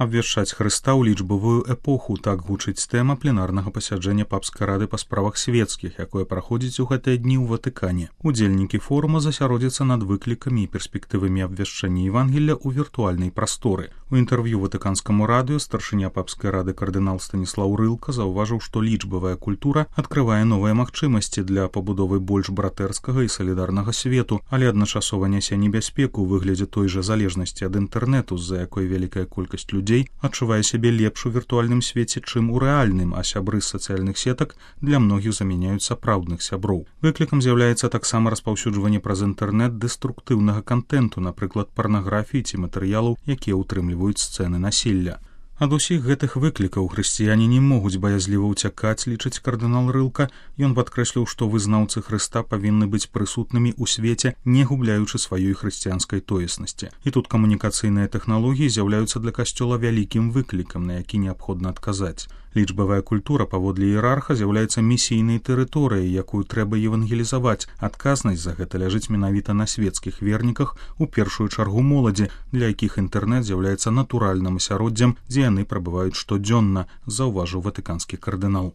Абвяшчаць Хрыста ў лічбавую эпоху, так гучыць тэма пленарнага пасяджэння папскай рады па справах свецкіх, якое праходзіць у гэтыя дні ў Ватыкане. Удзельнікі форума засяродзяцца над выклікамі і перспектывамі абвяшчэння Евангелля ў віртуальнай прасторы. У інтэрв'ю ватыканскаму радыё старшыня папскай рады кардынал Станіслаў Рылка заўважыў, што лічбавая культура адкрывае новыя магчымасці для пабудовы больш братэрскага і салідарнага свету, але адначасова нясе небяспеку ў выглядзе той жа залежнасці ад інтэрнэту, з-за якой вялікая колькасць людзей адчувае сябе лепш у віртуальным свеце, чым у рэальным, а сябры з сацыяльных сетак для многіх замяняюць сапраўдных сяброў. Выклікам з'яўляецца таксама распаўсюджванне праз інтэрнэт дэструктыўнага кантэнту, напрыклад, парнаграфіі ці матэрыялаў, якія ўтрымліваюць сцэны насілля. Ад усіх гэтых выклікаў хрысціяне не могуць баязліва ўцякаць, лічыць кардынал Рылка. Ён падкрэсліў, што вызнаўцы Хрыста павінны быць прысутнымі ў свеце, не губляючы сваёй хрысціянскай тоеснасці. І тут камунікацыйныя тэхналогіі з'яўляюцца для касцёла вялікім выклікам, на які неабходна адказаць. Лічбавая культура паводле іерарха з'яўляецца місійнай тэрыторыяй, якую трэба евангелізаваць. Адказнасць за гэта ляжыць менавіта на свецкіх верніках, у першую чаргу моладзі, для якіх інтэрнэт з'яўляецца натуральным асяроддзем, дзе яны прабываюць штодзённа, заўважыў ватыканскі кардынал.